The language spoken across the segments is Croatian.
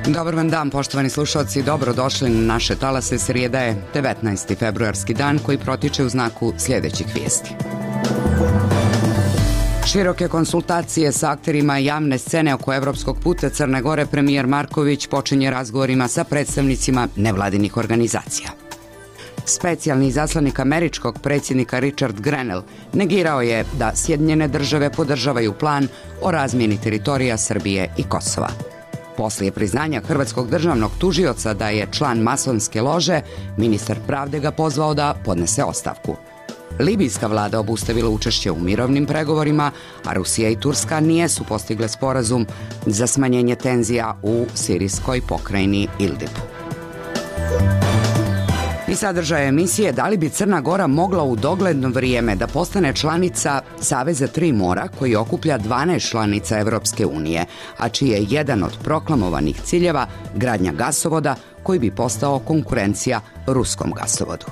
Dobar vam dan, poštovani slušalci, dobrodošli na naše talase. Srijeda je 19. februarski dan koji protiče u znaku sljedećih vijesti. Široke konsultacije sa akterima javne scene oko evropskog puta Crne Gore. Premijer Marković počinje razgovorima sa predstavnicima nevladinih organizacija. Specijalni izaslanik američkog predsjednika Richard Grenell negirao je da Sjedinjene države podržavaju plan o razmjeni teritorija Srbije i Kosova. Poslije priznanja hrvatskog državnog tužioca da je član masonske lože, ministar pravde ga pozvao da podnese ostavku. Libijska vlada obustavila učešće u mirovnim pregovorima, a Rusija i Turska nisu postigle sporazum za smanjenje tenzija u sirijskoj pokrajini Idlib. I sadržaj emisije: da li bi Crna Gora mogla u dogledno vrijeme da postane članica Saveza Tri mora koji okuplja 12 članica Evropske unije, a čiji je jedan od proklamovanih ciljeva gradnja gasovoda koji bi postao konkurencija ruskom gasovodu.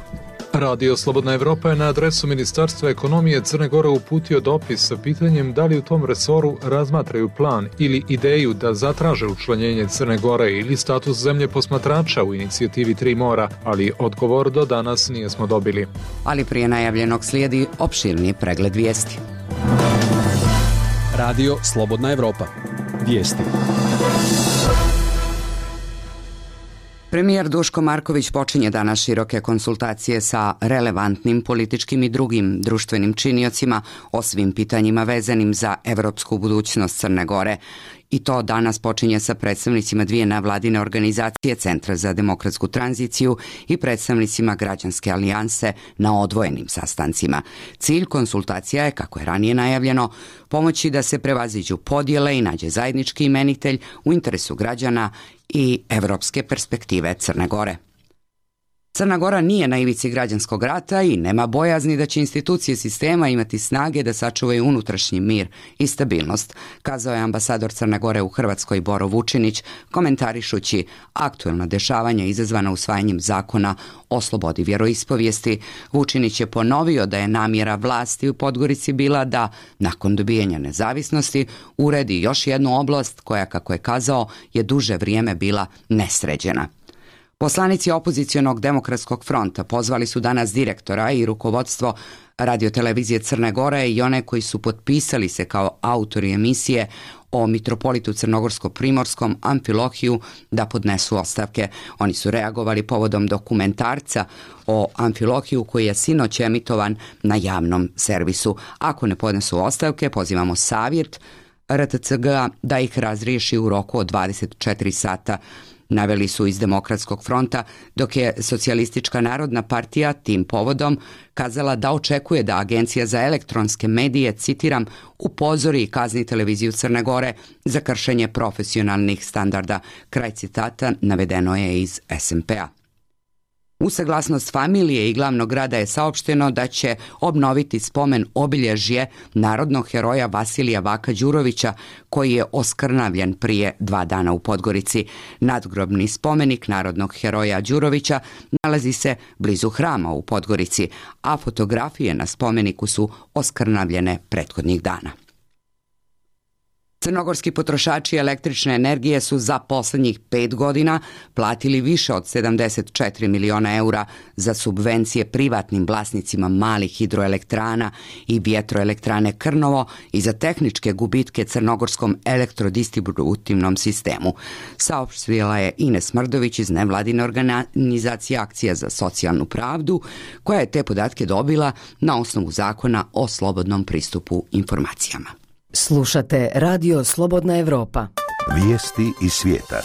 Radio Slobodna Evropa je na adresu Ministarstva ekonomije Crne Gore uputio dopis sa pitanjem da li u tom resoru razmatraju plan ili ideju da zatraže učlanjenje Crne Gore ili status zemlje posmatrača u inicijativi Tri mora, ali odgovor do danas nismo dobili. Ali prije najavljenog slijedi opširni pregled vijesti. Radio Slobodna Evropa. Vijesti. Premijer Duško Marković počinje danas široke konsultacije sa relevantnim političkim i drugim društvenim činiocima o svim pitanjima vezanim za evropsku budućnost Crne Gore. I to danas počinje sa predstavnicima dvije nevladine organizacije, Centra za demokratsku tranziciju i predstavnicima Građanske alijanse na odvojenim sastancima. Cilj konsultacija je, kako je ranije najavljeno, pomoći da se prevaziđu podjele i nađe zajednički imenitelj u interesu građana i evropske perspektive Crne Gore. Crna Gora nije na ivici građanskog rata i nema bojazni da će institucije sistema imati snage da sačuvaju unutrašnji mir i stabilnost, kazao je ambasador Crne Gore u Hrvatskoj Boro Vučinić, komentarišući aktuelna dešavanja izazvana usvajanjem zakona o slobodi vjeroispovijesti. Vučinić je ponovio da je namjera vlasti u Podgorici bila da, nakon dobijanja nezavisnosti, uredi još jednu oblast koja, kako je kazao, je duže vrijeme bila nesređena. Poslanici opozicionog demokratskog fronta pozvali su danas direktora i rukovodstvo radiotelevizije Crne Gore i one koji su potpisali se kao autori emisije o mitropolitu crnogorsko-primorskom Amfilohiju da podnesu ostavke. Oni su reagovali povodom dokumentarca o Amfilohiju koji je sinoć emitovan na javnom servisu. Ako ne podnesu ostavke, pozivamo savjet RTCG da ih razriješi u roku od 24 sata. Naveli su iz Demokratskog fronta, dok je Socijalistička narodna partija tim povodom kazala da očekuje da Agencija za elektronske medije, citiram, upozori i kazni televiziju Crne Gore za kršenje profesionalnih standarda. Kraj citata navedeno je iz SMP-a. U saglasnost familije i glavnog grada je saopšteno da će obnoviti spomen obilježje narodnog heroja Vasilija Vaka Đurovića koji je oskrnavljen prije 2 dana u Podgorici. Nadgrobni spomenik narodnog heroja Đurovića nalazi se blizu hrama u Podgorici, a fotografije na spomeniku su oskrnavljene prethodnih dana. Crnogorski potrošači električne energije su za posljednjih 5 godina platili više od 74 miliona eura za subvencije privatnim vlasnicima malih hidroelektrana i vjetroelektrane Krnovo i za tehničke gubitke crnogorskom elektrodistributivnom sistemu, saopštila je Ines Mrdović iz nevladine organizacije Akcija za socijalnu pravdu, koja je te podatke dobila na osnovu zakona o slobodnom pristupu informacijama. Slušate Radio Slobodna Evropa. Vijesti iz svijeta.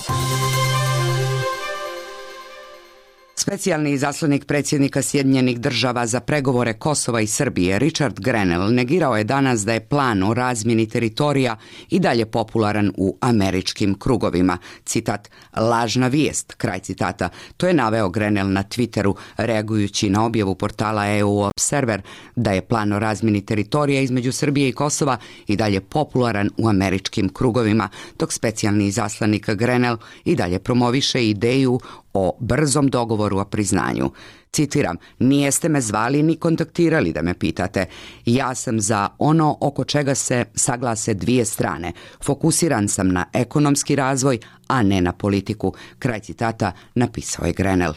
Specijalni izaslanik predsjednika Sjedinjenih država za pregovore Kosova i Srbije Richard Grenell negirao je danas da je plan o razmjeni teritorija i dalje popularan u američkim krugovima. Citat: lažna vijest, kraj citata. To je naveo Grenell na Twitteru reagujući na objavu portala EU Observer da je plan o razmjeni teritorija između Srbije i Kosova i dalje popularan u američkim krugovima, dok specijalni izaslanik Grenell i dalje promoviše ideju o brzom dogovoru o priznanju. Citiram, nijeste me zvali ni kontaktirali da me pitate. Ja sam za ono oko čega se saglase dvije strane. Fokusiran sam na ekonomski razvoj, a ne na politiku. Kraj citata, napisao je Grenell.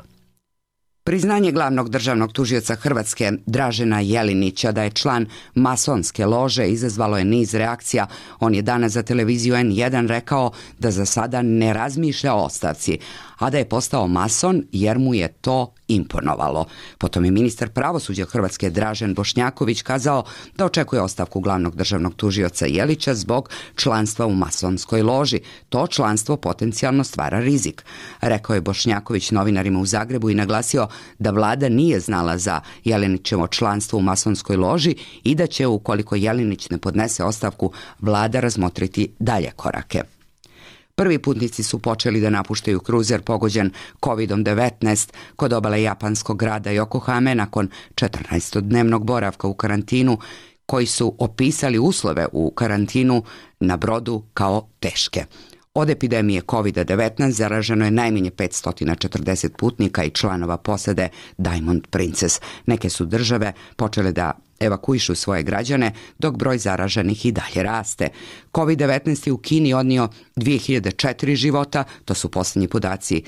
Priznanje glavnog državnog tužioca Hrvatske Dražena Jelinića da je član masonske lože izazvalo je niz reakcija. On je danas za televiziju N1 rekao da za sada ne razmišlja o ostavci, a da je postao mason jer mu je to imponovalo. Potom je ministar pravosuđa Hrvatske Dražen Bošnjaković kazao da očekuje ostavku glavnog državnog tužioca Jelića zbog članstva u masonskoj loži. To članstvo potencijalno stvara rizik. Rekao je Bošnjaković novinarima u Zagrebu i naglasio da vlada nije znala za Jelinićevo članstvo u masonskoj loži i da će, ukoliko Jelinić ne podnese ostavku, vlada razmotriti dalje korake. Prvi putnici su počeli da napuštaju kruzer pogođen COVID-19 kod obale japanskog grada Yokohame nakon 14-dnevnog boravka u karantinu, koji su opisali uslove u karantinu na brodu kao teške. Od epidemije COVID-19 zaraženo je najmanje 540 putnika i članova posade Diamond Princess. Neke su države počele da evakuišu svoje građane, dok broj zaraženih i dalje raste. COVID-19 je u Kini odnio 2004 života, to su posljednji podaci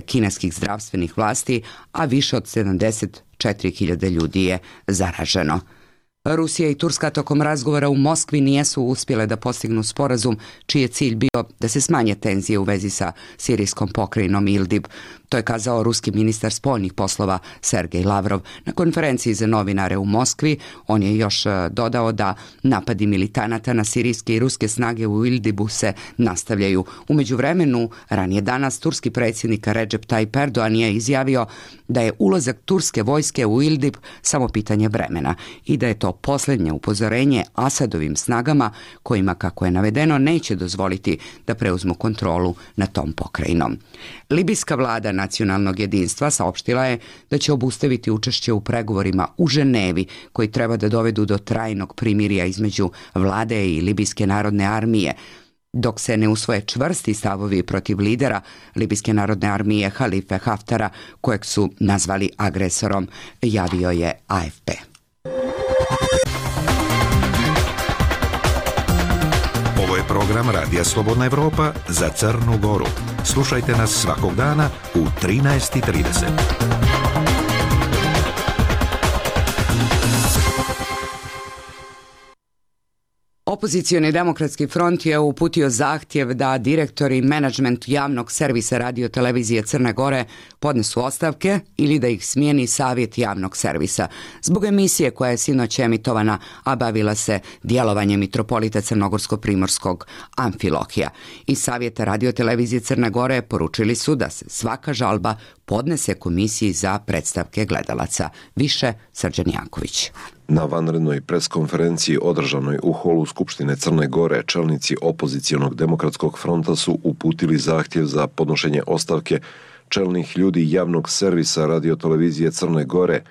kineskih zdravstvenih vlasti, a više od 74.000 ljudi je zaraženo. Rusija i Turska tokom razgovora u Moskvi nisu uspjele da postignu sporazum čiji je cilj bio da se smanje tenzije u vezi sa sirijskom pokrajinom Idlib. To je kazao ruski ministar spoljnih poslova Sergej Lavrov na konferenciji za novinare u Moskvi. On je još dodao da napadi militanata na sirijske i ruske snage u Idlibu se nastavljaju. U međuvremenu, ranije danas, turski predsjednik Recep Tayyip Erdogan je izjavio da je ulazak turske vojske u Idlib samo pitanje vremena i da je to posljednje upozorenje Asadovim snagama kojima, kako je navedeno, neće dozvoliti da preuzmu kontrolu nad tom pokrajinom. Libijska vlada nacionalnog jedinstva saopštila je da će obustaviti učešće u pregovorima u Ženevi koji treba da dovedu do trajnog primirja između vlade i Libijske narodne armije, dok se ne usvoje čvrsti stavovi protiv lidera Libijske narodne armije Halife Haftara, kojeg su nazvali agresorom, javio je AFP. Ovo je program Radija Slobodna Evropa za Crnu Goru. Slušajte nas svakog dana u 13:30. Opozicioni demokratski front je uputio zahtjev da direktori i menadžment javnog servisa radio televizije Crne Gore podnesu ostavke ili da ih smijeni savjet javnog servisa. Zbog emisije koja je sinoć emitovana, a bavila se djelovanjem mitropolita Crnogorsko-primorskog Amfilohija. Iz savjeta radio televizije Crne Gore poručili su da se svaka žalba podnese komisiji za predstavke gledalaca. Više Srđan Janković. Na vanrednoj preskonferenciji održanoj u holu Skupštine Crne Gore čelnici opozicionog demokratskog fronta su uputili zahtjev za podnošenje ostavke čelnih ljudi javnog servisa radiotelevizije Crne Gore.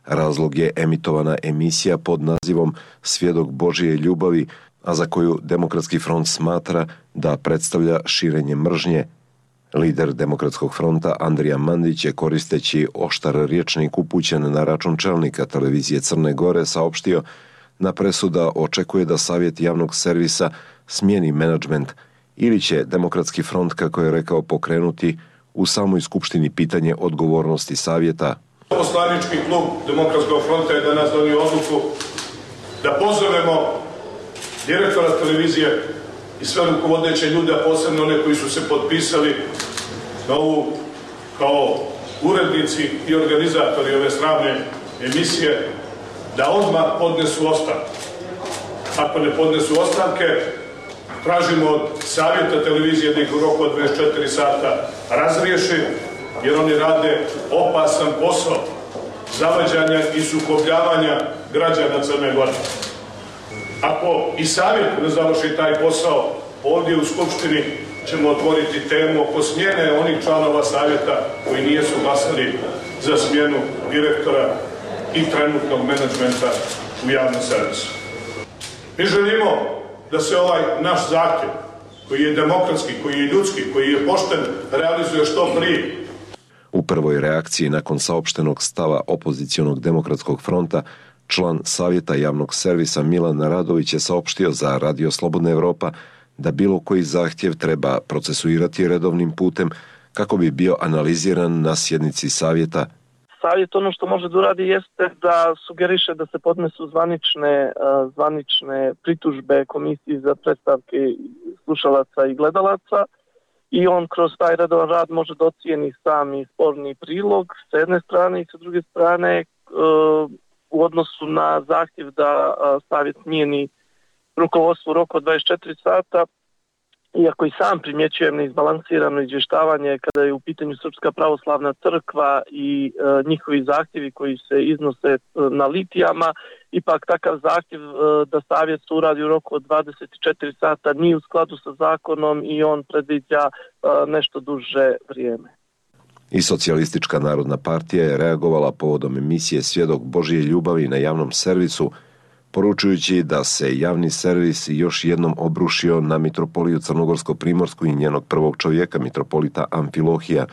Razlog je emitovana emisija pod nazivom Svjedok Božije ljubavi, a za koju Demokratski front smatra da predstavlja širenje mržnje. Lider Demokratskog fronta Andrija Mandić je, koristeći oštar rječnik upućen na račun čelnika televizije Crne Gore, saopštio na presuda očekuje da savjet javnog servisa smijeni menadžment ili će Demokratski front, kako je rekao, pokrenuti u samoj skupštini pitanje odgovornosti savjeta. Poslanički klub Demokratskog fronta je danas donio odluku da pozovemo direktora televizije i sve rukovodeće ljude, a posebno one koji su se potpisali na ovu kao urednici i organizatori ove sramne emisije, da odmah podnesu ostavke. Ako ne podnesu ostavke, tražimo od savjeta televizije da ih u roku od 24 sata razriješi, jer oni rade opasan posao zavađanja i sukobljavanja građana Crne Gore. Ako i savjet ne završi taj posao, ovdje u Skupštini ćemo otvoriti temu oko smjene onih članova savjeta koji nisu glasali za smjenu direktora i trenutnog menadžmenta u javnom servisu. Mi želimo da se ovaj naš zahtjev, koji je demokratski, koji je ljudski, koji je pošten, realizuje što prije. U prvoj reakciji nakon saopštenog stava opozicionog demokratskog fronta, član Savjeta javnog servisa Milan Radović je saopštio za Radio Slobodna Evropa da bilo koji zahtjev treba procesuirati redovnim putem kako bi bio analiziran na sjednici Savjeta. Savjet ono što može da uradi jeste da sugeriše da se podnesu zvanične pritužbe Komisiji za predstavke slušalaca i gledalaca i on kroz taj redovan rad može da ocijeni sami sporni prilog s jedne strane i sa druge strane u odnosu na zahtjev da Savjet smijeni rukovodstvo u roku od 24 sata, iako i sam primjećujem neizbalansirano izvještavanje kada je u pitanju Srpska pravoslavna crkva i njihovi zahtjevi koji se iznose na litijama, ipak takav zahtjev da Savjet se uradi u roku od 24 sata nije u skladu sa zakonom i on predviđa nešto duže vrijeme. I Socijalistička narodna partija je reagovala povodom emisije Svjedok Božje ljubavi na javnom servisu, poručujući da se javni servis još jednom obrušio na mitropoliju Crnogorsko-Primorsku i njenog prvog čovjeka, mitropolita Amfilohija.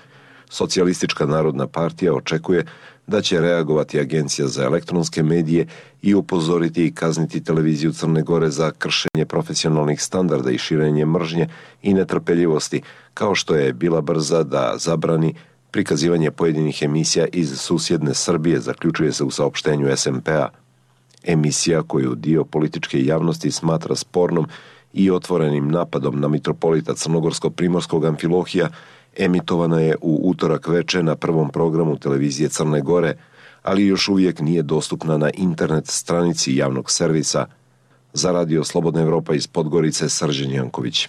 Socijalistička narodna partija očekuje da će reagovati Agencija za elektronske medije i upozoriti i kazniti televiziju Crne Gore za kršenje profesionalnih standarda i širenje mržnje i netrpeljivosti, kao što je bila brza da zabrani prikazivanje pojedinih emisija iz susjedne Srbije, zaključuje se u saopštenju SMP-a. Emisija koju dio političke javnosti smatra spornom i otvorenim napadom na mitropolita Crnogorsko-Primorskog Amfilohija emitovana je u utorak veče na prvom programu televizije Crne Gore, ali još uvijek nije dostupna na internet stranici javnog servisa. Za Radio Slobodna Evropa iz Podgorice, Srđan Janković.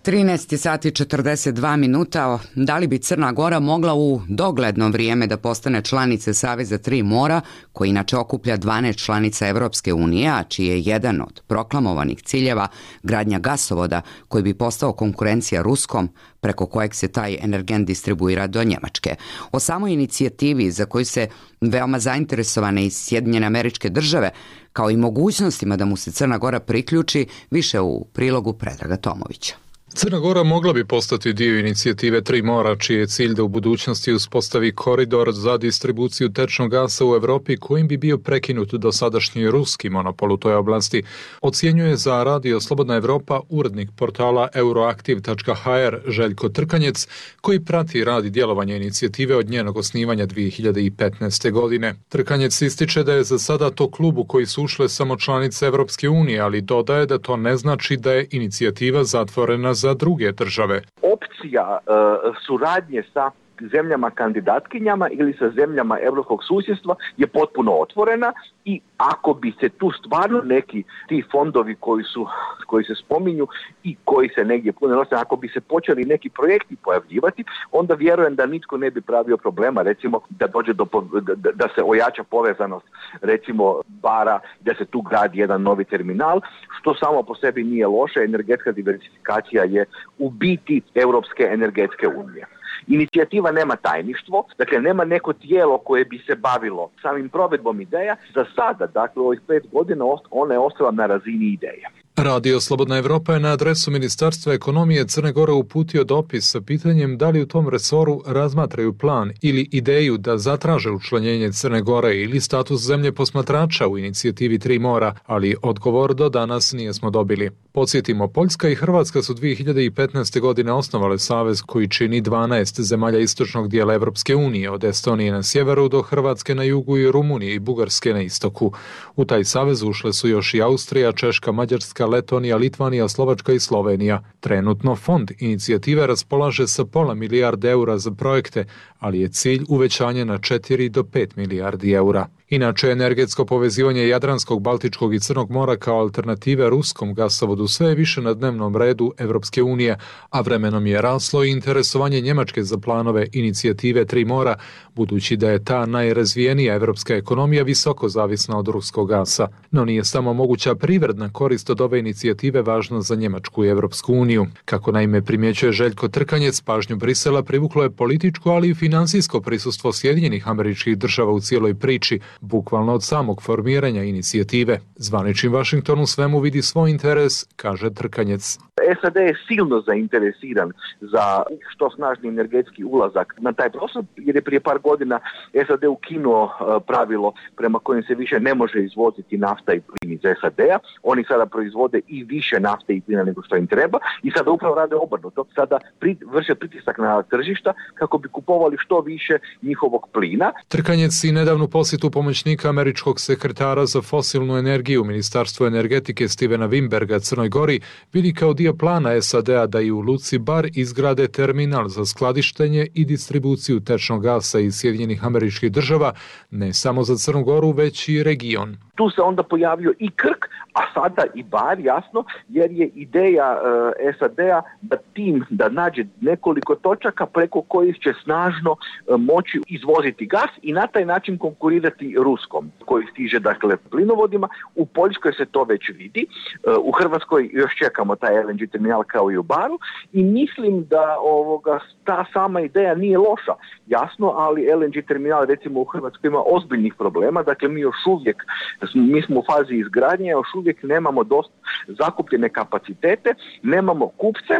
13 sati 42 minuta. Da li bi Crna Gora mogla u dogledno vrijeme da postane članice Saveza Tri mora, koji inače okuplja 12 članica Evropske unije, a čiji je jedan od proklamovanih ciljeva gradnja gasovoda koji bi postao konkurencija ruskom, preko kojeg se taj energent distribuira do Njemačke. O samoj inicijativi za koju se veoma zainteresovane iz Sjedinjene Američke Države, kao i mogućnostima da mu se Crna Gora priključi, više u prilogu Predraga Tomovića. Crna Gora mogla bi postati dio inicijative Tri mora, čiji je cilj da u budućnosti uspostavi koridor za distribuciju tečnog gasa u Evropi, kojim bi bio prekinut dosadašnji ruski monopol u toj oblasti, ocjenjuje za Radio Slobodna Evropa urednik portala euroaktiv.hr Željko Trkanjec, koji prati rad i djelovanje inicijative od njenog osnivanja 2015. godine. Trkanjec ističe da je za sada to klub u koji su ušle samo članice Evropske unije, ali dodaje da to ne znači da je inicijativa zatvorena za druge države. Opcija suradnje sa zemljama kandidatkinjama ili sa zemljama europskog susjedstva je potpuno otvorena i ako bi se tu stvarno neki ti fondovi koji se spominju i koji se negdje pune nose, ako bi se počeli neki projekti pojavljivati, onda vjerujem da nitko ne bi pravio problema, recimo da dođe da se ojača povezanost recimo Bara, da se tu gradi jedan novi terminal, što samo po sebi nije loše. Energetska diversifikacija je u biti Europske energetske unije. Inicijativa nema tajništvo, dakle nema neko tijelo koje bi se bavilo samim provedbom ideja. Za sada, dakle u ovih 5 godina, ona je ostala na razini ideja. Radio Slobodna Evropa je na adresu Ministarstva ekonomije Crne Gore uputio dopis sa pitanjem da li u tom resoru razmatraju plan ili ideju da zatraže učlanjenje Crne Gore ili status zemlje posmatrača u inicijativi Tri mora, ali odgovor do danas nismo dobili. Podsjetimo, Poljska i Hrvatska su 2015. godine osnovale savez koji čini 12 zemalja istočnog dijela Evropske unije, od Estonije na sjeveru do Hrvatske na jugu i Rumunije i Bugarske na istoku. U taj savez ušle su još i Austrija, Češka, Mađarska, Letonija, Litvanija, Slovačka i Slovenija. Trenutno fond inicijative raspolaže sa £0,5 milijarde eura za projekte, ali je cilj uvećanje na 4 do 5 milijardi eura. Inače, energetsko povezivanje Jadranskog, Baltičkog i Crnog mora kao alternative ruskom gasovodu sve je više na dnevnom redu Evropske unije, a vremenom je raslo i interesovanje Njemačke za planove inicijative Tri mora, budući da je ta najrazvijenija evropska ekonomija visoko zavisna od ruskog gasa. No nije samo moguća privredna korist od ove inicijative važna za Njemačku i Evropsku uniju. Kako naime primjećuje Željko Trkanjec, pažnju Brisela privuklo je političko, ali i finansijsko prisustvo Sjedinjenih Američkih Država u cijeloj priči, bukvalno od samog formiranja inicijative. Zvanični Washington u svemu vidi svoj interes, kaže Trkanjec. SAD je silno zainteresiran za što snažni energetski ulazak na taj prostor, jer je prije par godina SAD ukinuo pravilo prema kojem se više ne može izvoziti nafta i plin iz SAD-a. Oni sada proizvode i više nafte i plina nego što im treba i sada upravo rade obrnuto. Sada vrše pritisak na tržišta kako bi kupovali što više njihovog plina. Trkanjec i nedavnu posjetu pomoćnika američkog sekretara za fosilnu energiju u Ministarstvu energetike Stevena Wimberga Crnoj Gori vidi kao dio plana SAD-a da i u luci Bar izgrade terminal za skladištenje i distribuciju tečnog gasa iz Sjedinjenih Američkih Država, ne samo za Crnu Goru, već i region. Tu se onda pojavio i Krk, a sada i Bar, jasno, jer je ideja SAD-a da nađe nekoliko točaka preko kojih će snažno moći izvoziti gas i na taj način konkurirati ruskom, koji stiže dakle plinovodima. U Poljskoj se to već vidi, u Hrvatskoj još čekamo taj LNG terminal kao i u Baru i mislim da ta sama ideja nije loša, jasno, ali LNG terminal recimo u Hrvatskoj ima ozbiljnih problema, dakle mi smo u fazi izgradnje, još uvijek nemamo dosta zakupljene kapacitete, nemamo kupce,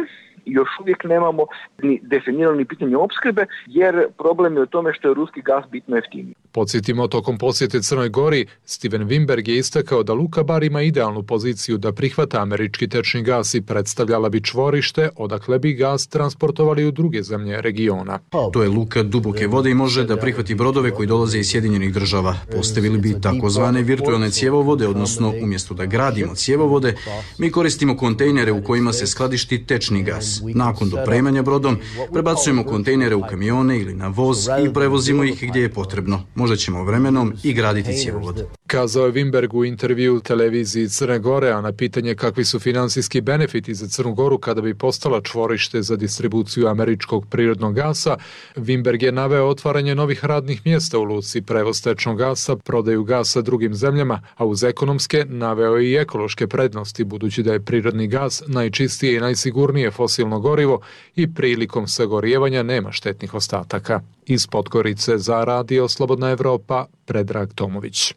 još uvijek nemamo ni definirano pitanje opskrbe, jer problem je u tome što je ruski gas bitno jeftiniji. Podsjetimo, tokom posjete Crnoj Gori, Steven Wimberg je istakao da luka Bar ima idealnu poziciju da prihvata američki tečni gas i predstavljala bi čvorište odakle bi gas transportovali u druge zemlje regiona. To je luka duboke vode i može da prihvati brodove koji dolaze iz Sjedinjenih Država. Postavili bi takozvane virtualne cjevovode, odnosno umjesto da gradimo cjevovode, mi koristimo kontejnere u kojima se skladišti tečni gas. Nakon dopremanja brodom prebacujemo kontejnere u kamione ili na voz i prevozimo ih gdje je potrebno. Možda ćemo vremenom i graditi cjevovod. Kazao je Wimberg u intervju televiziji Crne Gore, a na pitanje kakvi su finansijski benefiti za Crnu Goru kada bi postala čvorište za distribuciju američkog prirodnog gasa, Wimberg je naveo otvaranje novih radnih mjesta u luci, prevoz tečnog gasa, prodaju gasa drugim zemljama, a uz ekonomske naveo i ekološke prednosti, budući da je prirodni gas najčistije i najsigurnije fosilno gorivo i prilikom sagorijevanja nema štetnih ostataka. Iz Podgorice za Radio Slobodna Evropa, Predrag Tomović.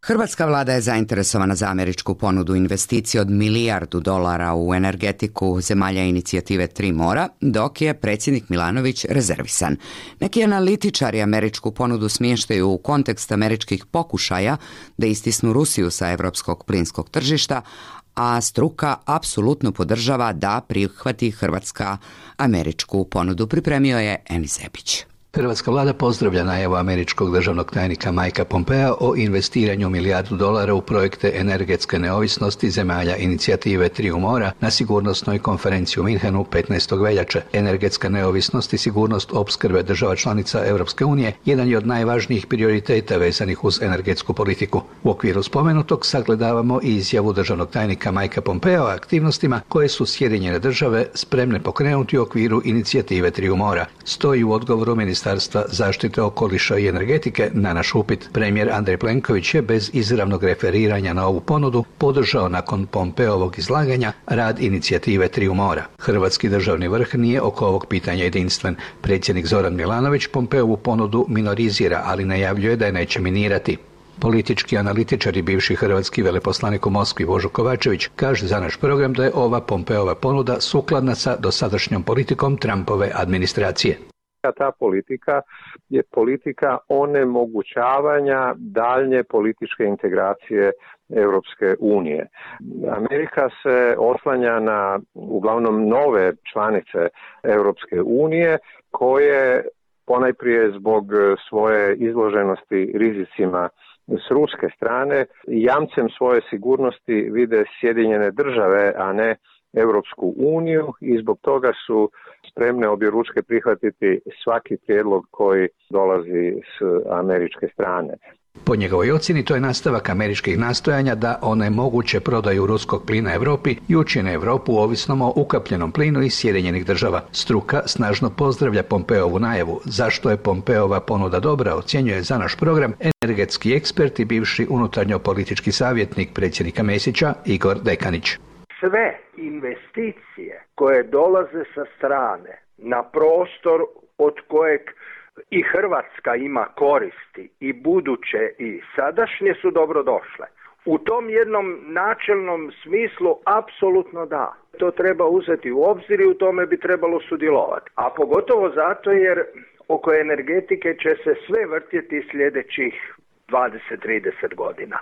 Hrvatska vlada je zainteresovana za američku ponudu investicije od $1 milijardu u energetiku zemalja inicijative Tri mora, dok je predsjednik Milanović rezervisan. Neki analitičari američku ponudu smještaju u kontekst američkih pokušaja da istisnu Rusiju sa evropskog plinskog tržišta, a struka apsolutno podržava da prihvati Hrvatska američku ponudu. Pripremio je Enis Zebić. Hrvatska vlada pozdravlja najavu američkog državnog tajnika Mikea Pompea o investiranju $1 milijardu u projekte energetske neovisnosti zemalja inicijative Triju mora na sigurnosnoj konferenciji u Minhenu 15. veljače. Energetska neovisnost i sigurnost opskrbe država članica Europske unije jedan je od najvažnijih prioriteta vezanih uz energetsku politiku. U okviru spomenutog sagledavamo i izjavu državnog tajnika Mikea Pompea o aktivnostima koje su Sjedinjene države spremne pokrenuti u okviru inicijative Triju mora. Stoji u odgovoru Ministarstva zaštite okoliša i energetike na naš upit. Premijer Andrej Plenković je bez izravnog referiranja na ovu ponudu podržao nakon Pompeovog izlaganja rad inicijative Triju mora. Hrvatski državni vrh nije oko ovog pitanja jedinstven. Predsjednik Zoran Milanović Pompeovu ponudu minorizira, ali najavljuje da je neće minirati. Politički analitičar i bivši hrvatski veleposlanik u Moskvi Božo Kovačević kaže za naš program da je ova Pompeova ponuda sukladna sa dosadašnjom politikom Trumpove administracije. Ta politika je politika onemogućavanja daljnje političke integracije Europske unije. Amerika se oslanja na uglavnom nove članice Europske unije koje ponajprije zbog svoje izloženosti rizicima s ruske strane jamcem svoje sigurnosti vide Sjedinjene države, a ne Europsku uniju i zbog toga su spremne objeručke prihvatiti svaki prijedlog koji dolazi s američke strane. Po njegovoj ocjeni to je nastavak američkih nastojanja da onemoguće prodaju ruskog plina Europi i učine Europu ovisnom o ukapljenom plinu iz Sjedinjenih država. Struka snažno pozdravlja Pompeovu najavu. Zašto je Pompeova ponuda dobra, ocjenjuje za naš program energetski ekspert i bivši unutarnjo-politički savjetnik predsjednika Mesića Igor Dekanić. Sve investicije koje dolaze sa strane na prostor od kojeg i Hrvatska ima koristi i buduće i sadašnje su dobrodošle. U tom jednom načelnom smislu apsolutno da. To treba uzeti u obzir i u tome bi trebalo sudjelovati. A pogotovo zato jer oko energetike će se sve vrtjeti sljedećih 20-30 godina.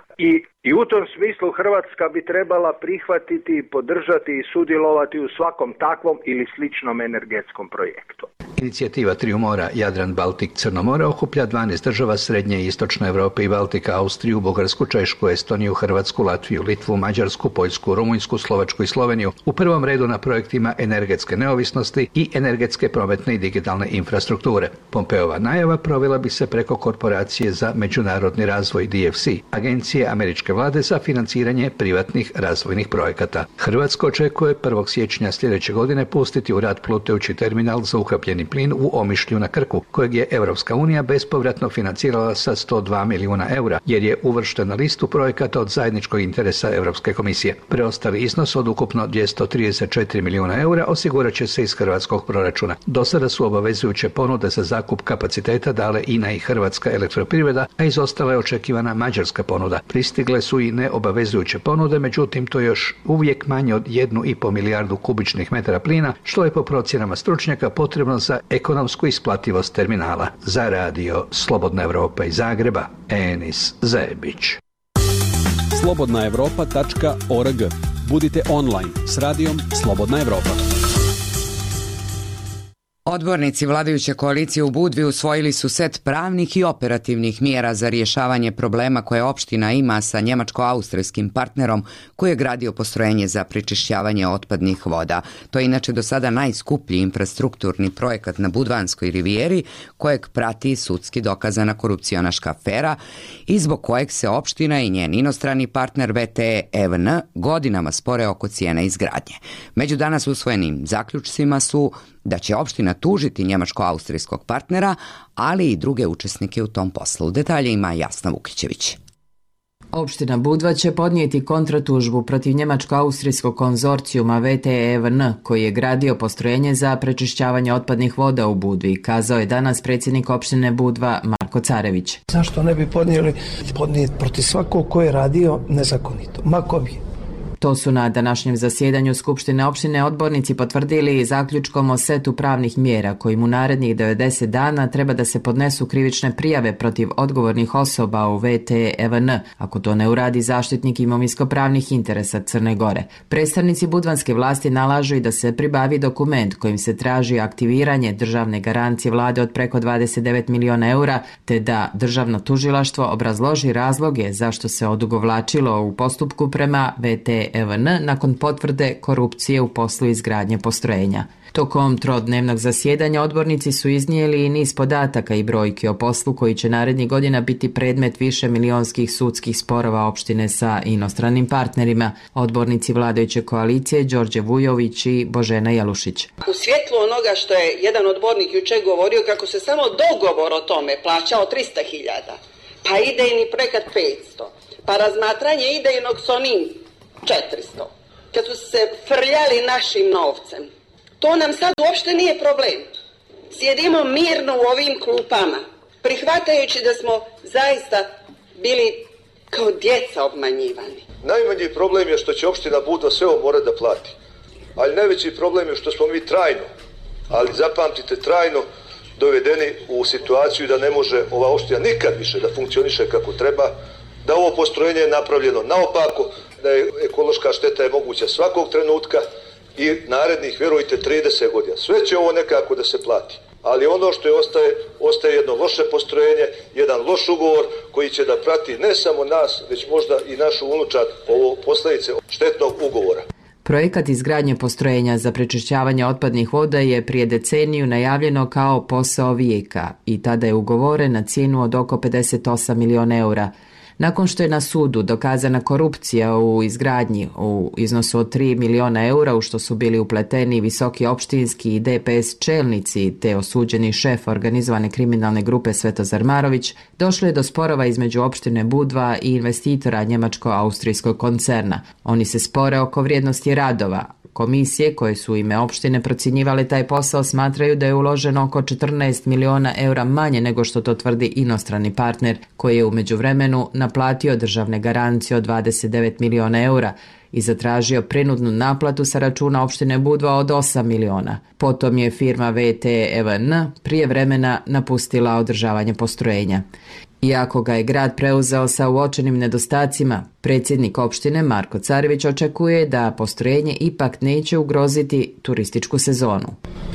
I u tom smislu Hrvatska bi trebala prihvatiti, podržati i sudjelovati u svakom takvom ili sličnom energetskom projektu. Inicijativa Triju mora Jadran, Baltik, Crno more okuplja 12 država Srednje i Istočne Europe i Baltika, Austriju, Bugarsku, Češku, Estoniju, Hrvatsku, Latviju, Litvu, Mađarsku, Poljsku, Rumunjsku, Slovačku i Sloveniju u prvom redu na projektima energetske neovisnosti i energetske, prometne i digitalne infrastrukture. Pompeova najava provela bi se preko Korporacije za međunarodni razvoj DFC, agencije američke vlade za financiranje privatnih razvojnih projekata. Hrvatska očekuje 1. siječnja sljedeće godine pustiti u rad plutajući terminal za ukapljeni plin u Omišlju na Krku, kojeg je Europska unija bespovratno financirala sa 102 milijuna eura, jer je uvršten na listu projekata od zajedničkog interesa Europske komisije. Preostali iznos od ukupno 234 milijuna eura osigurat će se iz hrvatskog proračuna. Do sada su obavezujuće ponude za zakup kapaciteta dale INA i Hrvatska elektroprivreda, a izostala je očekivana mađarska ponuda. Pristigle su i neobavezujuće ponude, međutim to je još uvijek manje od 1,5 milijardu kubičnih metara plina, što je po procjenama stručnjaka potrebno za ekonomsku isplativost terminala. Za radio Slobodna Evropa iz Zagreba, Enis Zebić. slobodnaevropa.org. Budite online s radijom Slobodna Evropa. Odbornici vladajuće koalicije u Budvi usvojili su set pravnih i operativnih mjera za rješavanje problema koje opština ima sa njemačko-austrijskim partnerom koji je gradio postrojenje za prečišćavanje otpadnih voda. To je inače do sada najskuplji infrastrukturni projekat na Budvanskoj rivijeri, kojeg prati sudski dokazana korupcionaška afera i zbog kojeg se opština i njen inostrani partner VTE EVN godinama spore oko cijene izgradnje. Među danas usvojenim zaključcima su da će opština tužiti njemačko-austrijskog partnera, ali i druge učesnike u tom poslu. Detalje ima Jasna Vukićević. Opština Budva će podnijeti kontratužbu protiv njemačko-austrijskog konzorcijuma VTE EVN, koji je gradio postrojenje za prečišćavanje otpadnih voda u Budvi, kazao je danas predsjednik opštine Budva Marko Carević. Zašto ne bi podnijeti protiv svakog ko je radio nezakonito? Ma ko bi? To su na današnjem zasjedanju Skupštine opštine odbornici potvrdili zaključkom o setu pravnih mjera kojim u narednih 90 dana treba da se podnesu krivične prijave protiv odgovornih osoba u VTE EVN, ako to ne uradi zaštitnik imovinsko-pravnih interesa Crne Gore. Predstavnici budvanske vlasti nalažu i da se pribavi dokument kojim se traži aktiviranje državne garancije vlade od preko 29 miliona eura, te da državno tužilaštvo obrazloži razloge zašto se odugovlačilo u postupku prema VTE EVN nakon potvrde korupcije u poslu izgradnje postrojenja. Tokom trodnevnog zasjedanja odbornici su iznijeli i niz podataka i brojki o poslu koji će narednih godina biti predmet više milionskih sudskih sporova opštine sa inostranim partnerima. Odbornici vladajuće koalicije Đorđe Vujović i Božena Jelušić. U svjetlu onoga što je jedan odbornik jučer govorio kako se samo dogovor o tome plaćao 300.000, pa idejni projekat 500, pa razmatranje idejnog s onim 400. Kad su se frljali našim novcem. To nam sad uopšte nije problem. Sjedimo mirno u ovim klupama, prihvatajući da smo zaista bili kao djeca obmanjivani. Najmanji problem je što će opština Budva sve ovo morati da plati. Ali najveći problem je što smo mi trajno, ali zapamtite trajno, dovedeni u situaciju da ne može ova opština nikad više da funkcioniše kako treba, da ovo postrojenje je napravljeno naopako, da je ekološka šteta je moguća svakog trenutka i narednih, vjerujte, 30 godina. Sve će ovo nekako da se plati. Ali ono što je ostaje jedno loše postrojenje, jedan loš ugovor koji će da prati ne samo nas, već možda i našu unučad ovo posljedice štetnog ugovora. Projekat izgradnje postrojenja za prečišćavanje otpadnih voda je prije deceniju najavljeno kao posao vijeka i tada je ugovoren na cijenu od oko 58 miliona eura. Nakon što je na sudu dokazana korupcija u izgradnji u iznosu od 3 miliona eura, u što su bili upleteni visoki opštinski i DPS čelnici te osuđeni šef organizovane kriminalne grupe Svetozar Marović, došlo je do sporova između opštine Budva i investitora njemačko-austrijskog koncerna. Oni se spore oko vrijednosti radova, Komisije koje su u ime opštine procjenjivale taj posao smatraju da je uloženo oko 14 miliona eura manje nego što to tvrdi inostrani partner, koji je u međuvremenu naplatio državne garancije od 29 miliona eura i zatražio prinudnu naplatu sa računa opštine Budva od 8 miliona. Potom je firma VTEVN prije vremena napustila održavanje postrojenja. Iako ga je grad preuzeo sa uočenim nedostacima, predsjednik opštine Marko Carević očekuje da postrojenje ipak neće ugroziti turističku sezonu.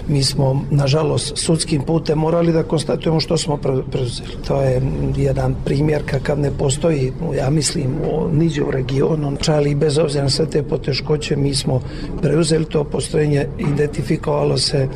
Mi smo, nažalost, sudskim putem morali da konstatujemo što smo preuzeli. To je jedan primjer kakav ne postoji, ja mislim, niđe u regionu. Čali bez obzira na sve te poteškoće, mi smo preuzeli to postrojenje, identifikovalo se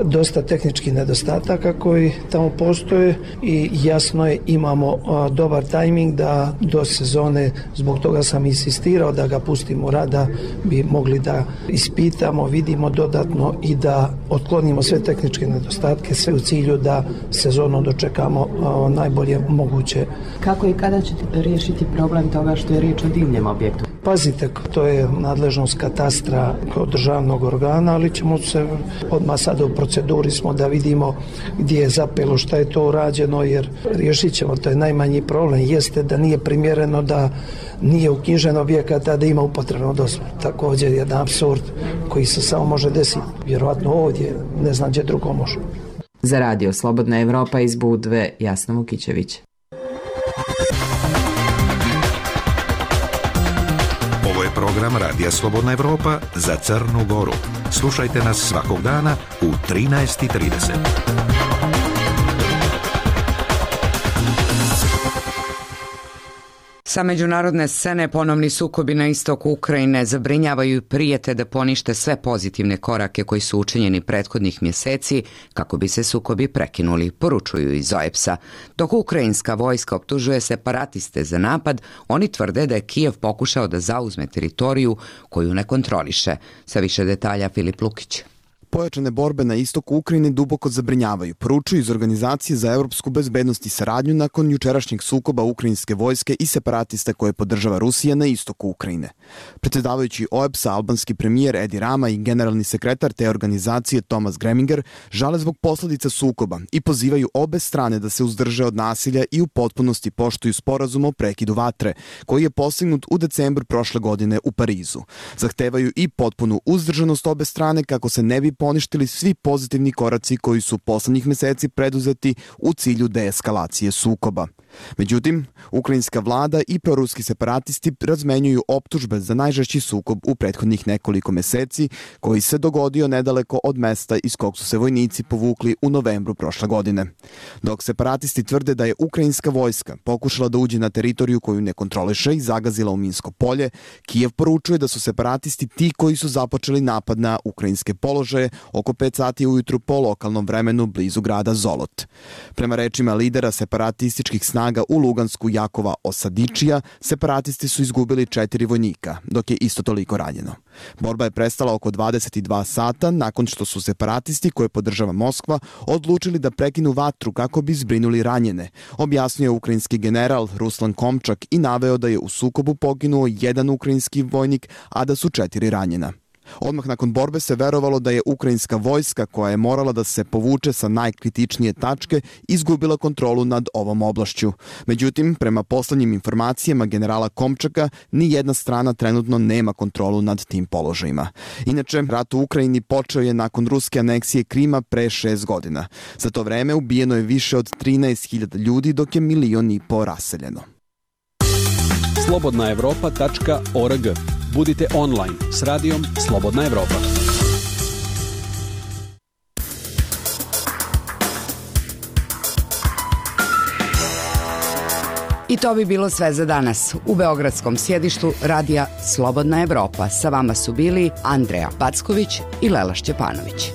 dosta tehničkih nedostataka koji tamo postoje i jasno je, imamo dobar tajming da do sezone, zbog toga sam insistirao da ga pustimo rad, da bi mogli da ispitamo, vidimo dodatno i da otklonimo sve tehničke nedostatke, sve u cilju da sezonu dočekamo najbolje moguće. Kako i kada ćete riješiti problem toga što je riječ o divljem objektu? Pazite, to je nadležnost katastra kao državnog organa, ali ćemo se odmah sada u proceduri smo da vidimo gdje je zapelo, šta je to urađeno, jer riješit ćemo, to je najmanji problem, jeste da nije primjereno da nije uknjižen objekat, a da ima upotrebnu dozvolu. Također je jedan apsurd koji se samo može desiti, vjerojatno ovdje, ne znam gdje drugo može. Za Radio Slobodna Evropa iz Budve, Jasna Vukićević. Ovo je program Radija Slobodna Evropa za Crnu Goru. Slušajte nas svakog dana u 13:30. Sa međunarodne scene ponovni sukobi na istoku Ukrajine zabrinjavaju i prijete da ponište sve pozitivne korake koji su učinjeni prethodnih mjeseci kako bi se sukobi prekinuli, poručuju iz OEBS-a. Dok ukrajinska vojska optužuje separatiste za napad, oni tvrde da je Kijev pokušao da zauzme teritoriju koju ne kontroliše. Sa više detalja Filip Lukić. Pojačane borbe na istoku Ukrajine duboko zabrinjavaju, poručuju iz Organizacije za evropsku bezbednost i saradnju nakon jučerašnjeg sukoba ukrajinske vojske i separatista koje podržava Rusija na istoku Ukrajine. Predsjedavajući OEBS-a, albanski premijer Edi Rama i generalni sekretar te organizacije Thomas Greminger žale zbog posljedica sukoba i pozivaju obe strane da se uzdrže od nasilja i u potpunosti poštuju sporazum o prekidu vatre, koji je postignut u decembru prošle godine u Parizu. Zahtevaju i potpunu uzdržanost obe strane kako se ne bi poništili svi pozitivni koraci koji su poslednjih meseci preduzeti u cilju deeskalacije sukoba. Međutim, ukrajinska vlada i proruski separatisti razmenjuju optužbe za najžešći sukob u prethodnih nekoliko meseci, koji se dogodio nedaleko od mesta iz kog su se vojnici povukli u novembru prošle godine. Dok separatisti tvrde da je ukrajinska vojska pokušala da uđe na teritoriju koju ne kontroliše i zagazila u minsko polje, Kijev poručuje da su separatisti ti koji su započeli napad na ukrajinske položaje oko 5 sati ujutru po lokalnom vremenu blizu grada Zolot. Prema rečima lidera separatističkih snaga u Lugansku Jakova Osadičija, separatisti su izgubili 4 vojnika, dok je isto toliko ranjeno. Borba je prestala oko 22 sata nakon što su separatisti, koje podržava Moskva, odlučili da prekinu vatru kako bi zbrinuli ranjene, objasnio je ukrajinski general Ruslan Komčak i naveo da je u sukobu poginuo 1 ukrajinski vojnik, a da su 4 ranjena. Odmah nakon borbe se verovalo da je ukrajinska vojska, koja je morala da se povuče sa najkritičnije tačke, izgubila kontrolu nad ovom oblašću. Međutim, prema poslednjim informacijama generala Komčaka, ni jedna strana trenutno nema kontrolu nad tim položajima. Inače, rat u Ukrajini počeo je nakon ruske aneksije Krima pre 6 godina. Za to vreme ubijeno je više od 13.000 ljudi, dok je 1,5 miliona raseljeno. slobodnaevropa.org. Budite online s radijom Slobodna Evropa. I to bi bilo sve za danas. U beogradskom sjedištu radija Slobodna Evropa sa vama su bili Andreja Packović i Lela Šćepanović.